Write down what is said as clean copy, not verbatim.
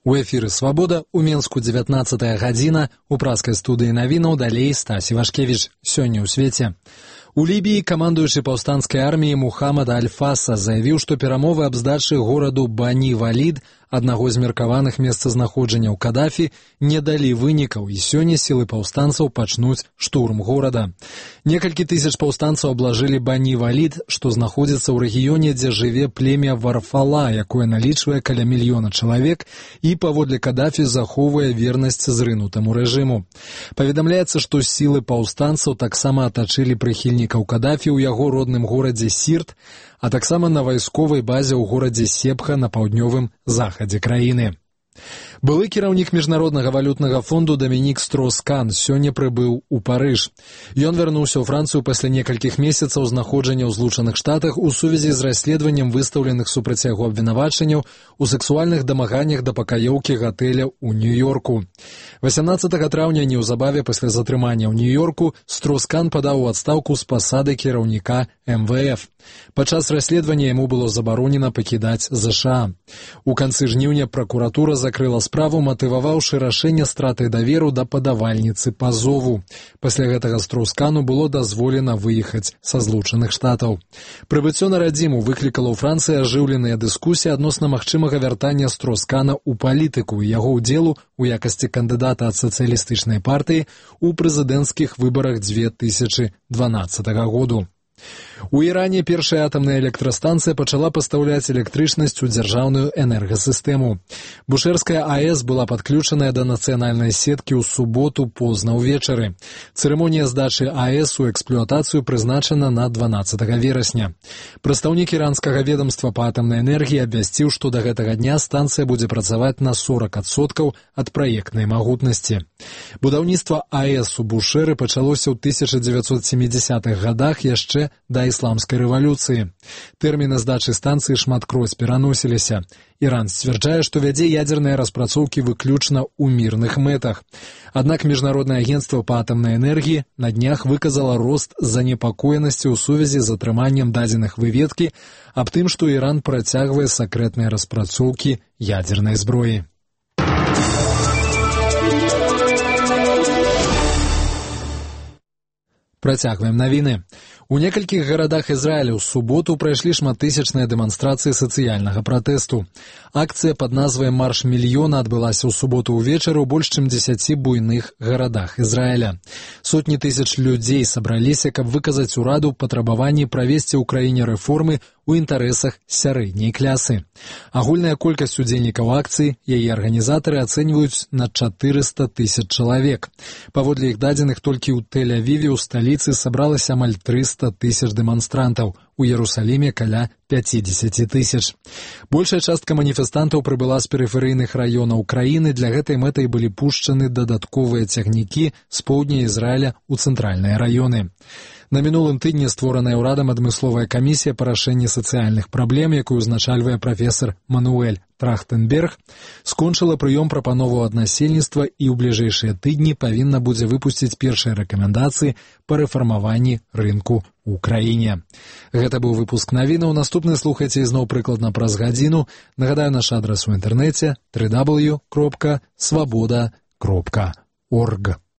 У эфіры «Свабода», у Менску 19 гадзіна, у праскай студыі навінаў далей Стасі Вашкевіч. Сёння ў свеце. У Лібіі камандуючы паўстанцкай арміі Мухаммад Аль-Фаса заявіў, што перамовы аб здачы гораду Бані-Валід, аднаго з меркаваных месцазнаходжанняў Кадафі, не далі вынікаў, і сёння сілы паўстанцаў пачнуць штурм горада. Некалькі тысяч паўстанцаў аблажылі Бані-Валід, што знаходзіцца ў рэгіёне, дзе жыве племя Варфала, якое налічвае каля 1 мільёна чалавек і паводле Кадафі захоўвае вернасць зрынутаму рэжыму. Паведамляецца, што сілы паўстанцаў таксама атачылі прыхільнікаў Кадафі ў яго родным горадзе Сірт, а таксама на вайсковай базе ў горадзе Сепха на паўднёвым захадзе краіны. Былы кіраўнік Міжнароднага валютнага фонду Дамінік Строус-Кан сёння прыбыў у Парыж. Ён вярнуўся ў Францыю пасля некалькіх месяцаў знаходжання ў Злучаных Штатах у сувязі з расследаваннем выстаўленых супраць яго абвінавачанняў у сексуальных дамаганнях да пакаёўкі гатэля ў Нью-Йорку. 18 траўня, неўзабаве пасля затрымання ў Нью-Йорку, Строус-Кан падаў у адстаўку з пасады кіраўніка МВФ. Падчас расследавання яму было забаронена пакідаць ЗША. У канцы жніўня пракуратура закрыла справу, матываваўшы рашэнне стратай даверу да падавальніцы пазову. Пасля гэтага Строус-Кану было дазволена выехаць са Злучаных Штатаў. Прыбыццё на радзіму выклікала ў Францыі ажыўленыя дыскусіі адносна магчымага вяртання Строус-Кана ў палітыку і яго ўдзелу у якасці кандыдата ад сацыялістычнай партыі ў прэзідэнцкіх выбарах 2012 году. У Іране першая атамная электрастанцыя пачала пастаўляць электрычнасць у дзяржаўную энергасістэму. Бушэрская АЭС была падключаная да нацыянальнай сеткі ў суботу позна ўвечары. Цырымонія здачы АЭС у эксплуатацыю прызначана на 12 верасня. Прадстаўнік іранскага ведамства па атамнай энергіі абвясціў, што да гэтага дня станцыя будзе працаваць на 40% ад праектнай магутнасці. Будаўніцтва АЭС у Бушэры пачалося ў 1970-х гадах яшчэ да ісламскай рэвалюцыі. Тэрміны здачы станцыі шматкроць пераносіліся. Іран сцвярджае, што вядзе ядзерныя распрацоўкі выключна ў мірных мэтах. Аднак Міжнароднае агенцтва па атамнай энергіі на днях выказала рост занепакоенасці ў сувязі з атрыманнем дадзеных выведкі аб тым, што Іран працягвае сакрэтныя распрацоўкі ядзернай зброі. Працягваем навіны. У некалькіх гарадах Ізраіля ў суботу прайшлі шматтысячныя дэманстрацыі сацыяльнага пратэсту. Акцыя пад назвай «Марш мільёна» адбылася ў суботу ўвечары ў больш чым 10 буйных гарадах Ізраіля. Сотні тысяч людзей сабраліся, каб выказаць ураду патрабаванні правесці ў краіне рэформы у інтарэсах сярэдняй клясы. Агульная колькасць удзельнікаў акцыі яе арганізатары ацэньваюць на 400 тысяч чалавек. Паводле іх дадзеных, толькі ў Тель-Авіве ў сталіцы сабралася амаль 300 тысяч дэманстрантаў, у Иерусалиме каля 50 тысяч. Большая частка маніфестантаў прыбыла з перыферыйных раёнаў краіны, для гэтай мэтай былі пушчаны дадатковыя цягнікі з поўдня Ізраіля ў цэнтральныя раёны. На мінулым тыдні створаная ўрадам адмысловая камісія па рашэнні сацыяльных праблем, якую узначальвае прафесар Мануэль Трахтенберг, скончыла прыём прапановаў ад насельніцтва і ў бліжэйшыя тыдні павінна будзе выпусціць першыя рэкамендацыі па рэфармаванні рынку ў краіне. Гэта быў выпуск навінаў. Наступны слухайце ізноў прыкладна праз гадзіну. Нагадаю, наш адрас у інтэрнэце www.swaboda.org.